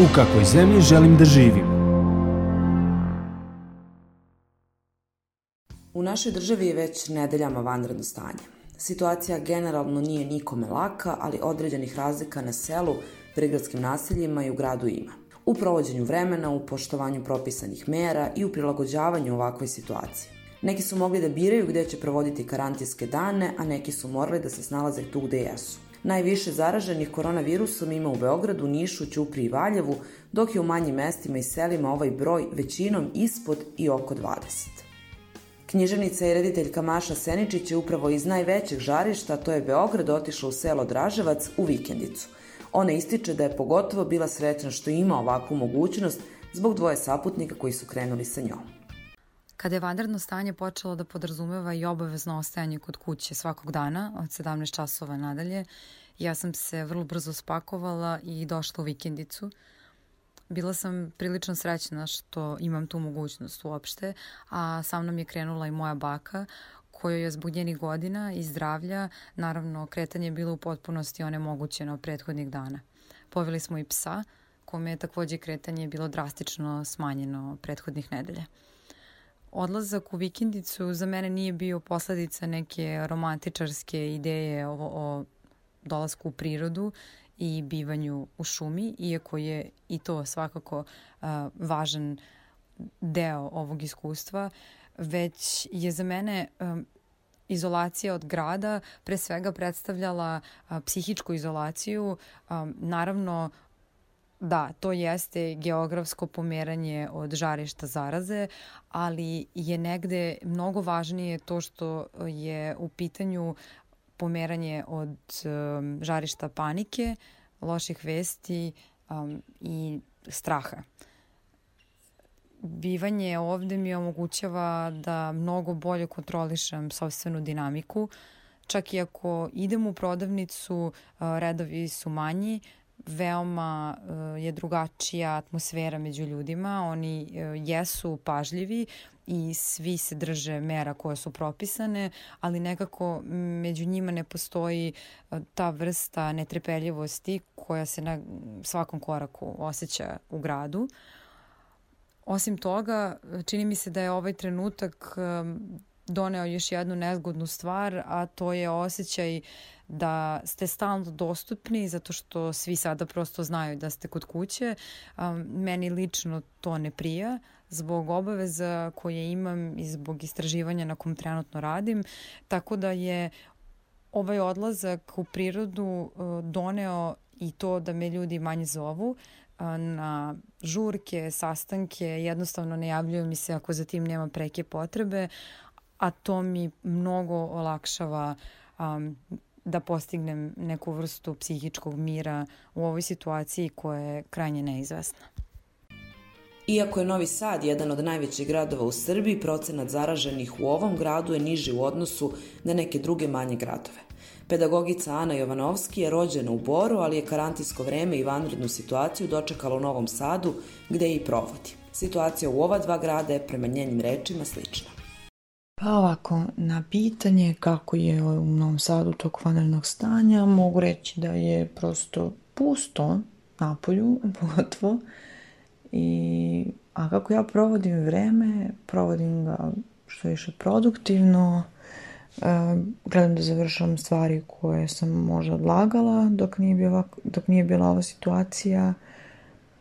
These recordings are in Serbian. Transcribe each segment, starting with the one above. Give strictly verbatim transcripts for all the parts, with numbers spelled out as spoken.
U kakvoj zemlji želim da živim? U našoj državi je već nedeljama vanredno stanje. Situacija generalno nije nikome laka, ali određenih razlika na selu, prigradskim naseljima i u gradu ima. U provođenju vremena, u poštovanju propisanih mera i u prilagođavanju ovakvoj situaciji. Neki su mogli da biraju gde će provoditi karantinske dane, a neki su morali da se snalaze tu gde jesu. Najviše zaraženih koronavirusom ima u Beogradu, Nišu, Ćupriji i Valjevu, dok je u manjim mestima i selima ovaj broj većinom ispod i oko dvadeset. Književnica i rediteljka Maša Seničić je upravo iz najvećeg žarišta, to je Beograd, otišla u selo Draževac u vikendicu. Ona ističe da je pogotovo bila srećna što ima ovakvu mogućnost zbog dvoje saputnika koji su krenuli sa njom. Kada je vanredno stanje počelo da podrazumeva i obavezno ostajanje kod kuće svakog dana od sedamnaest časova nadalje, ja sam se vrlo brzo spakovala i došla u vikendicu. Bila sam prilično srećna što imam tu mogućnost uopšte, a sa mnom je krenula i moja baka, kojoj je zbog njenih godina i zdravlja, naravno, kretanje je bilo u potpunosti onemogućeno prethodnih dana. Poveli smo i psa, kome je takođe kretanje bilo drastično smanjeno prethodnih nedelja. Odlazak u vikendicu za mene nije bio posledica neke romantičarske ideje o, o dolasku u prirodu i bivanju u šumi, iako je i to svakako uh, važan deo ovog iskustva, već je za mene um, izolacija od grada pre svega predstavljala uh, psihičku izolaciju. Um, naravno, da, to jeste geografsko pomeranje od žarišta zaraze, ali je negde mnogo važnije to što je u pitanju pomeranje od um, žarišta panike, loših vesti um, i straha. Bivanje ovde mi omogućava da mnogo bolje kontrolišem sopstvenu dinamiku. Čak i ako idem u prodavnicu, uh, redovi su manji, veoma uh, je drugačija atmosfera među ljudima. Oni uh, jesu pažljivi i svi se drže mera koje su propisane, ali nekako među njima ne postoji uh, ta vrsta netrpeljivosti koja se na svakom koraku osjeća u gradu. Osim toga, čini mi se da je ovaj trenutak um, doneo još jednu nezgodnu stvar, a to je osjećaj da ste stalno dostupni zato što svi sada prosto znaju da ste kod kuće. Um, meni lično to ne prija zbog obaveza koje imam i zbog istraživanja na kom trenutno radim, tako da je ovaj odlazak u prirodu uh, doneo i to da me ljudi manje zovu uh, na žurke, sastanke, jednostavno ne javljaju mi se ako za tim nema preke potrebe, a to mi mnogo olakšava um, da postignem neku vrstu psihičkog mira u ovoj situaciji koja je krajnje neizvesna. Iako je Novi Sad jedan od najvećih gradova u Srbiji, procenat zaraženih u ovom gradu je niži u odnosu na neke druge manje gradove. Pedagogica Ana Jovanovski je rođena u Boru, ali je karantinsko vreme i vanrednu situaciju dočekala u Novom Sadu, gde je i provodi. Situacija u ova dva grada je prema njenim rečima slična. Pa ovako, na pitanje kako je u Novom Sadu tog vanrednog stanja, mogu reći da je prosto pusto napolju, pogotovo. I, a kako ja provodim vreme, provodim ga što više produktivno, uh, gledam da završam stvari koje sam možda odlagala dok nije, bila, dok nije bila ova situacija,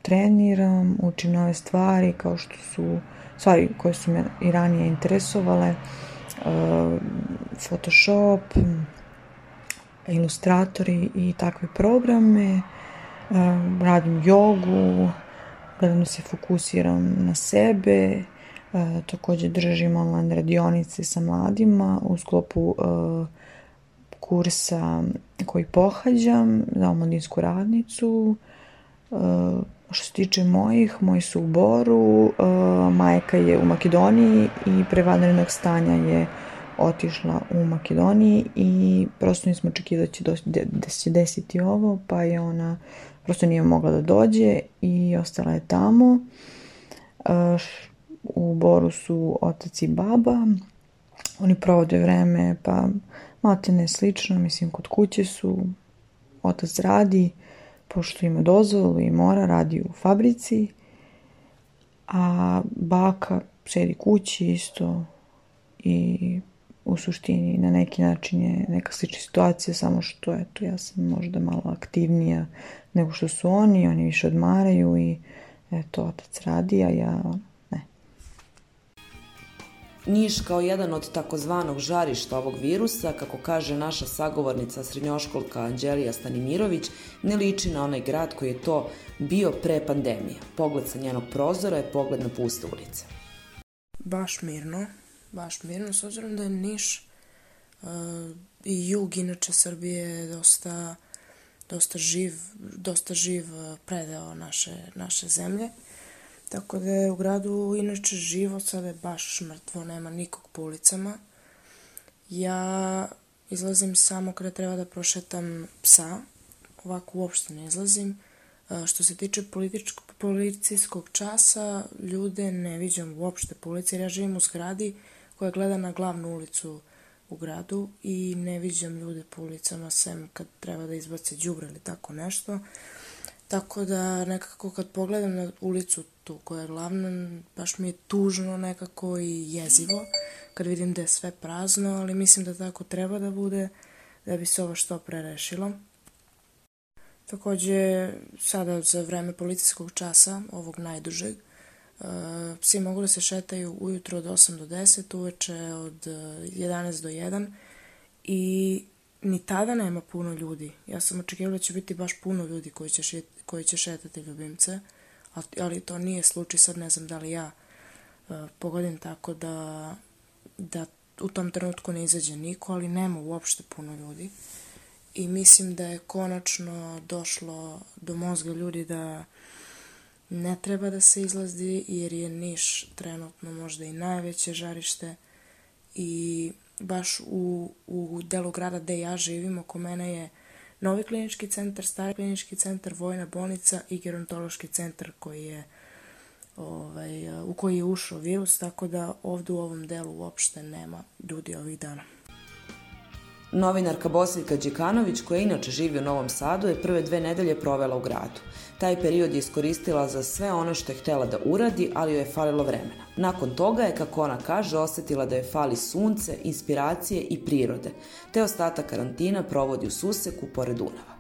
treniram, učim nove stvari kao što su stvari koje su me i ranije interesovale, uh, Photoshop, ilustratori i takve programe, uh, radim jogu, gledam da se fokusiram na sebe, uh, također držim online radionice sa mladima u sklopu uh, kursa koji pohađam za omladinsku radnicu. Uh, Što se tiče mojih, moji su u Boru, uh, majka je u Makedoniji i pre vanrednog stanja je otišla u Makedoniji i prosto nismo očekivali da će, do, da će desiti ovo, pa je ona prosto nije mogla da dođe i ostala je tamo. Uh, u Boru su otac i baba, oni provode vreme, pa maltene slično, mislim kod kuće su, otac radi, pošto ima dozvolu i mora, radi u fabrici, a baka sedi kući isto i u suštini na neki način je neka slična situacija, samo što eto, ja sam možda malo aktivnija nego što su oni, oni više odmaraju i eto, otac radi, a ja ne. Niš kao jedan od takozvanog žarišta ovog virusa, kako kaže naša sagovornica srednjoškolka Anđelija Stanimirović, ne liči na onaj grad koji je to bio pre pandemije. Pogled sa njenog prozora je pogled na puste ulice. Baš mirno, baš mirno, s obzirom da je Niš uh, i jug inače Srbije je dosta, dosta živ, dosta živ predeo naše, naše zemlje. Tako da je u gradu inače živo, sada je baš mrtvo, nema nikog po ulicama. Ja izlazim samo kada treba da prošetam psa, ovako uopšte ne izlazim. Što se tiče policijskog časa, ljude ne viđam uopšte po ulici, jer ja živim u zgradi koja gleda na glavnu ulicu u gradu i ne viđam ljude po ulicama, sem kad treba da izbace đubre ili tako nešto. Tako da nekako kad pogledam na ulicu tu koja je glavna, baš mi je tužno nekako i jezivo kad vidim da je sve prazno, ali mislim da tako treba da bude da bi se ovo što pre rešilo. Takođe, sada za vreme policijskog časa, ovog najdužeg, psi mogu da se šetaju ujutro od osam do deset, uveče od jedanaest do jedan i ni tada nema puno ljudi. Ja sam očekivala da će biti baš puno ljudi koji će, šet, koji će šetati ljubimce, ali to nije slučaj, sad ne znam da li ja uh, pogodim tako da, da u tom trenutku ne izađe niko, ali nema uopšte puno ljudi. I mislim da je konačno došlo do mozga ljudi da ne treba da se izlazi, jer je Niš trenutno možda i najveće žarište i baš u, u delu grada gde ja živim, oko mene je novi klinički centar, stari klinički centar, vojna bolnica i gerontološki centar koji je, ovaj, u koji je ušao virus, tako da ovdje u ovom delu uopšte nema ljudi ovih dana. Novinarka Bosiljka Đekanović, koja inače živi u Novom Sadu, je prve dve nedelje provela u gradu. Taj period je iskoristila za sve ono što je htela da uradi, ali joj je falilo vremena. Nakon toga je, kako ona kaže, osetila da joj fali sunce, inspiracije i prirode, te ostatak karantina provodi u Suseku pored Dunava.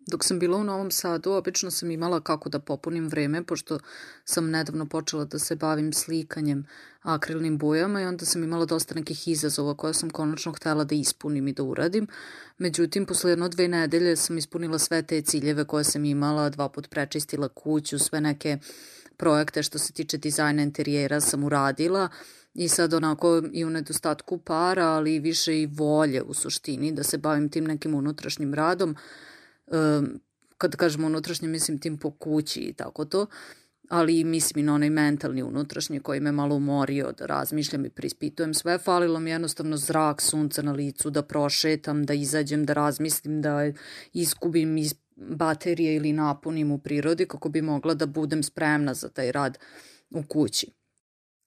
Dok sam bila u Novom Sadu, obično sam imala kako da popunim vreme, pošto sam nedavno počela da se bavim slikanjem akrilnim bojama i onda sam imala dosta nekih izazova koje sam konačno htela da ispunim i da uradim. Međutim, posle jedno dve nedelje sam ispunila sve te ciljeve koje sam imala, dva put prečistila kuću, sve neke projekte što se tiče dizajna interijera sam uradila i sad onako i u nedostatku para, ali više i volje u suštini da se bavim tim nekim unutrašnjim radom. Um, kad kažem unutrašnje, mislim tim po kući i tako to, ali mislim i na onaj mentalni unutrašnji koji me malo umorio da razmišljam i preispitujem sve. Falilo mi jednostavno zrak, sunca na licu, da prošetam, da izađem, da razmislim, da iskubim iz baterije ili napunim u prirodi kako bi mogla da budem spremna za taj rad u kući.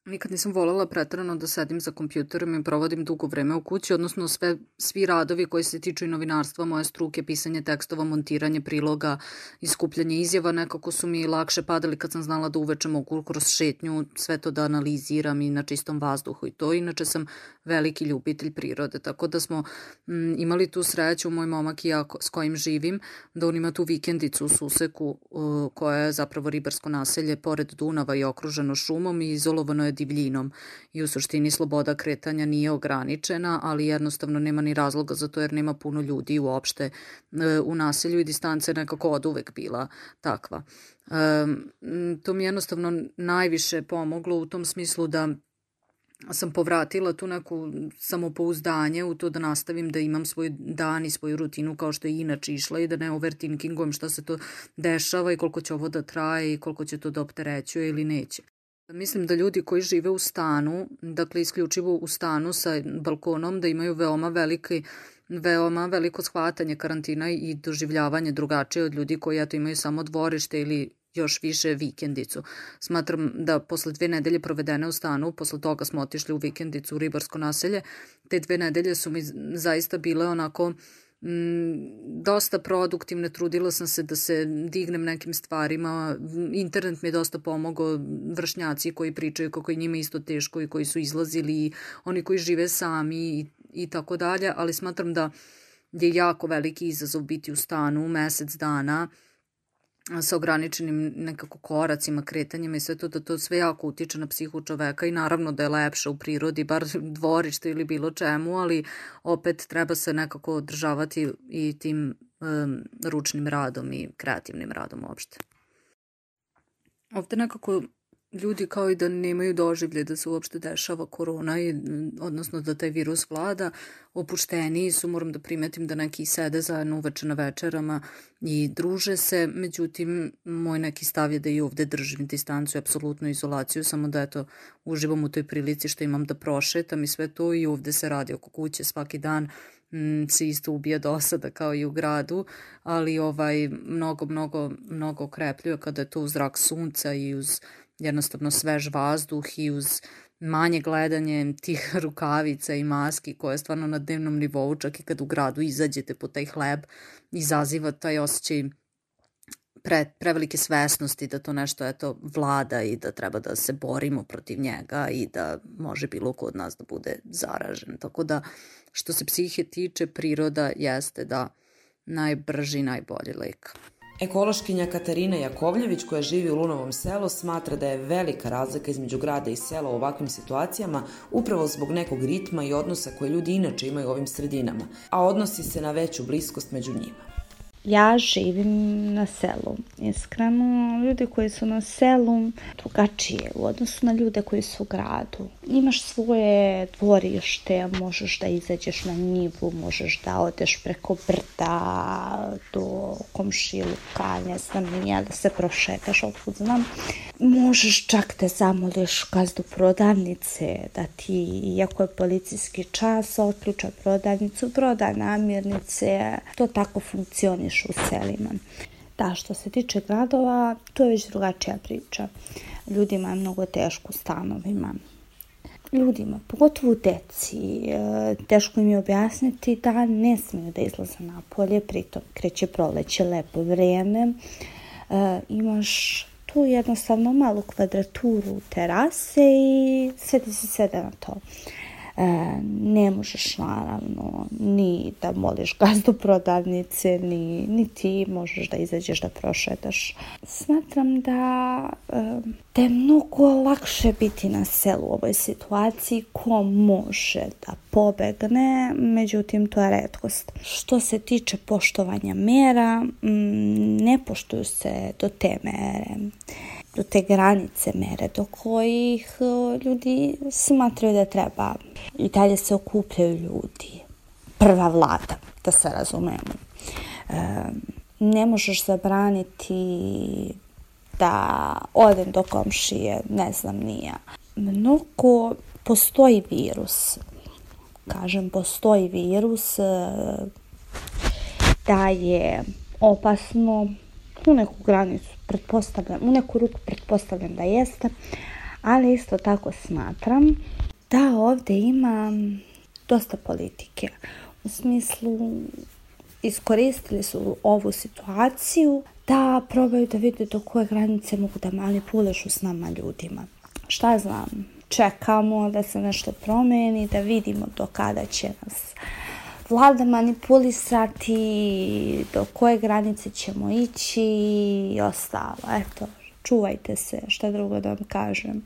Nikad nisam voljela preterano da sedim za kompjuterom i provodim dugo vreme u kući, odnosno sve, svi radovi koji se tiču i novinarstva, moje struke, pisanje tekstova, montiranje priloga, iskupljanje izjava, nekako su mi lakše padali kad sam znala da uveče mogu kroz šetnju sve to da analiziram i na čistom vazduhu i to. Inače sam veliki ljubitelj prirode, tako da smo m, imali tu sreću, moj momak i ja s kojim živim, da on ima tu vikendicu u Suseku uh, koja je zapravo ribarsko naselje pored Dunava i okruženo šumom i izolovano je divljinom i u suštini sloboda kretanja nije ograničena, ali jednostavno nema ni razloga za to jer nema puno ljudi uopšte u naselju i distanca je nekako od uvek bila takva. To mi jednostavno najviše pomoglo u tom smislu da sam povratila tu neku samopouzdanje u to da nastavim da imam svoj dan i svoju rutinu kao što je inače išla i da ne overthinkingujem šta se to dešava i koliko će ovo da traje i koliko će to da opterećuje ili neće. Mislim da ljudi koji žive u stanu, dakle isključivo u stanu sa balkonom, da imaju veoma veliki, veoma veliko shvatanje karantina i doživljavanje drugačije od ljudi koji eto imaju samo dvorište ili još više vikendicu. Smatram da posle dve nedelje provedene u stanu, posle toga smo otišli u vikendicu u ribarsko naselje, te dve nedelje su mi zaista bile onako dosta produktivne, trudila sam se da se dignem nekim stvarima, internet mi je dosta pomogao, vršnjaci koji pričaju kako je njima isto teško i koji su izlazili, i oni koji žive sami i, i tako dalje, ali smatram da je jako veliki izazov biti u stanu mesec dana sa ograničenim nekako koracima, kretanjima i sve to, da to sve jako utiče na psihu čoveka i naravno da je lepše u prirodi, bar dvorište ili bilo čemu, ali opet treba se nekako održavati i tim um, ručnim radom i kreativnim radom uopšte. Ovde nekako ljudi kao i da nemaju doživlje da se uopšte dešava korona, i, odnosno da taj virus vlada, opušteniji su, moram da primetim da neki sede zajedno uveče na večerama i druže se, međutim moj neki stav je da i ovde držim distancu i apsolutnu izolaciju, samo da eto uživam u toj prilici što imam da prošetam i sve to, i ovde se radi oko kuće svaki dan, m, se isto ubija dosada kao i u gradu, ali ovaj mnogo, mnogo, mnogo okrepljuje kada je to uz zrak sunca i uz jednostavno svež vazduh i uz manje gledanje tih rukavica i maski koje je stvarno na dnevnom nivou, čak i kad u gradu izađete po taj hleb, izaziva taj osjećaj pre, prevelike svesnosti da to nešto eto vlada i da treba da se borimo protiv njega i da može bilo ko od nas da bude zaražen. Tako da što se psihe tiče, priroda jeste da najbrži i najbolji lek. Ekološkinja Katarina Jakovljević, koja živi u Lunovom selu, smatra da je velika razlika između grada i sela u ovakvim situacijama upravo zbog nekog ritma i odnosa koje ljudi inače imaju u ovim sredinama, a odnosi se na veću bliskost među njima. Ja živim na selu. Iskreno, ljudi koji su na selu drugačije u odnosu na ljude koji su u gradu. Imaš svoje dvorište, možeš da izađeš na njivu, možeš da odeš preko brda do komšiluka, ne znam nija, da se prošetaš, otkud znam. Možeš čak da zamoliš gazdu prodavnice da ti, iako je policijski čas, otključa prodavnicu, proda namirnice. To tako funkcioniše u selima. Da, što se tiče gradova, to je već drugačija priča. Ljudima je mnogo teško u stanovima. Ljudima, pogotovo deci, teško im je objasniti da ne smiju da izlaze napolje, pritom kreće proleće, lepo vreme. E, imaš tu jednostavno malu kvadraturu terase i sve ti se sede na to. E, ne možeš naravno ni da moliš gazdu prodavnice, ni, ni ti možeš da izađeš da prošetaš. Smatram da, e, da je mnogo lakše biti na selu u ovoj situaciji, ko može da pobegne, međutim to je retkost. Što se tiče poštovanja mera, m, ne poštuju se do te mere, do te granice mere do kojih ljudi smatraju da treba. I dalje se okupljaju ljudi. Prva vlada, da se razumemo. E, ne možeš zabraniti da odem do komšije, ne znam nija. Mnogo postoji virus. Kažem, postoji virus da je opasno u neku granicu, pretpostavljam, u neku ruku pretpostavljam da jeste, ali isto tako smatram da ovdje ima dosta politike. U smislu, iskoristili su ovu situaciju da probaju da vide do koje granice mogu da manipulišu s nama ljudima. Šta znam, čekamo da se nešto promeni, da vidimo do kada će nas vlada manipulisati, do koje granice ćemo ići i ostalo. Eto, čuvajte se, šta drugo da vam kažem.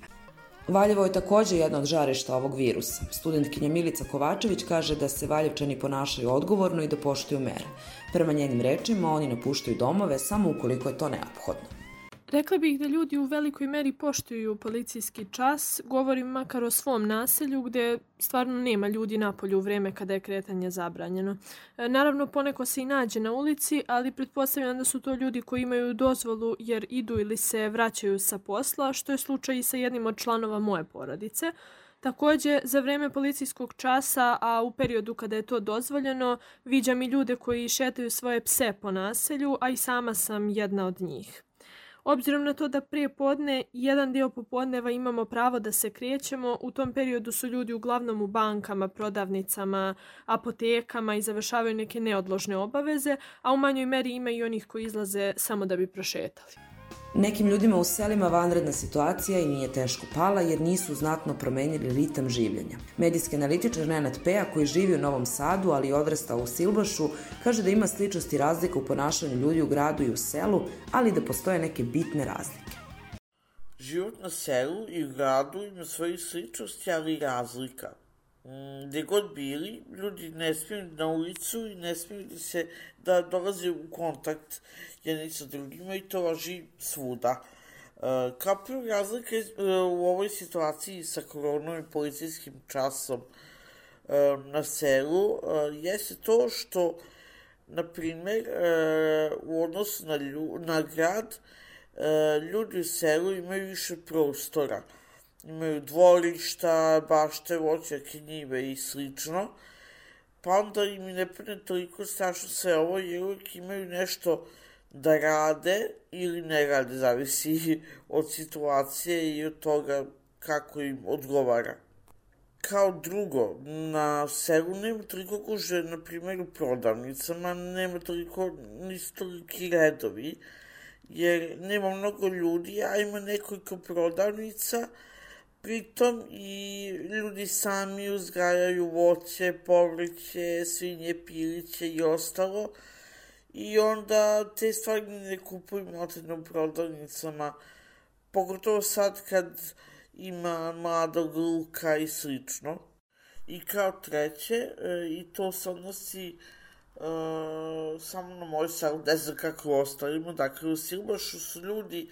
Valjevo je također jedna od žarišta ovog virusa. Studentkinja Milica Kovačević kaže da se Valjevčani ponašaju odgovorno i da poštuju mere. Prema njenim rečima, oni napuštaju domove samo ukoliko je to neophodno. Rekla bih da ljudi u velikoj meri poštuju policijski čas, govorim makar o svom naselju gdje stvarno nema ljudi napolju u vrijeme kada je kretanje zabranjeno. Naravno, poneko se i nađe na ulici, ali pretpostavljam da su to ljudi koji imaju dozvolu jer idu ili se vraćaju sa posla, što je slučaj i sa jednim od članova moje porodice. Također, za vrijeme policijskog časa, a u periodu kada je to dozvoljeno, viđam i ljude koji šetaju svoje pse po naselju, a i sama sam jedna od njih. Obzirom na to da prije podne i jedan dio popodneva imamo pravo da se krećemo, u tom periodu su ljudi uglavnom u bankama, prodavnicama, apotekama i završavaju neke neodložne obaveze, a u manjoj meri ima i onih koji izlaze samo da bi prošetali. Nekim ljudima u selima vanredna situacija i nije teško pala jer nisu znatno promenili ritam življenja. Medijski analitičar Nenad Peja, koji živi u Novom Sadu, ali i odrastao u Silbašu, kaže da ima sličnosti i razlika u ponašanju ljudi u gradu i u selu, ali da postoje neke bitne razlike. Život na selu i u gradu ima svoje sličnosti, ali i razlika. Gde god bili, ljudi ne smiju na ulicu i ne smiju da se da dolaze u kontakt jedni sa drugima i to važi svuda. Kao prvo razlika u ovoj situaciji sa koronom i policijskim časom na selu jeste to što, na primer, u odnosu na, lju, na grad, ljudi u selu imaju više prostora. Imaju dvorišta, bašte, voćnjake, njive i slično, pa onda im ne pune toliko strašno sve ovo jer uvijek imaju nešto da rade ili ne rade, zavisi od situacije i od toga kako im odgovara. Kao drugo, na selu nema toliko gužve, na primjer u prodavnicama, nema toliko, nisu toliki redovi, jer nema mnogo ljudi, a ima nekoliko prodavnica. Pritom i ljudi sami uzgajaju voće, povrće, svinje, piliće i ostalo. I onda te stvari ne kupuju maltene u prodavnicama, pogotovo sad kad ima mladog luka i slično. I kao treće, i to se odnosi uh, samo na moj selu, ne znam kako u ostalima, dakle u Silbašu su ljudi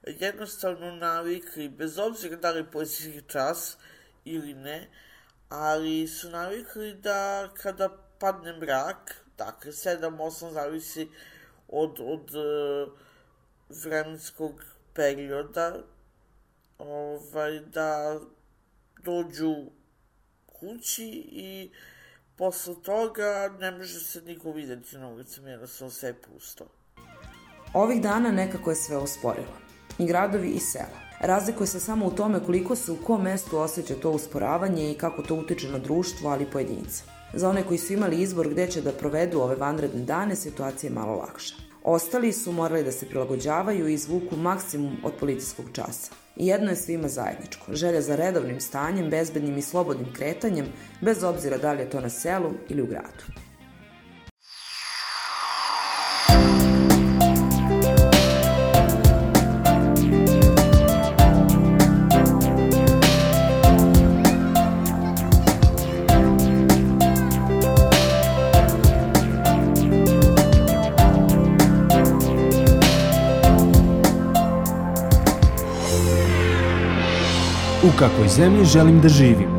jednostavno navikli, bez obzira da li je policijski čas ili ne, ali su navikli da kada padne mrak, dakle sedam osam zavisi od, od uh, vremenskog perioda, ovaj, da dođu kući i posle toga ne može se niko vidjeti na ulicama, jednostavno sve pusto. Ovih dana nekako je sve usporilo. I gradovi i sela. Razlikuje se samo u tome koliko se u kom mestu osjeća to usporavanje i kako to utiče na društvo, ali i pojedinca. Za one koji su imali izbor gde će da provedu ove vanredne dane, situacija je malo lakša. Ostali su morali da se prilagođavaju i izvuku maksimum od policijskog časa. I jedno je svima zajedničko, želja za redovnim stanjem, bezbednim i slobodnim kretanjem, bez obzira da li je to na selu ili u gradu. U kakvoj zemlji želim da živim?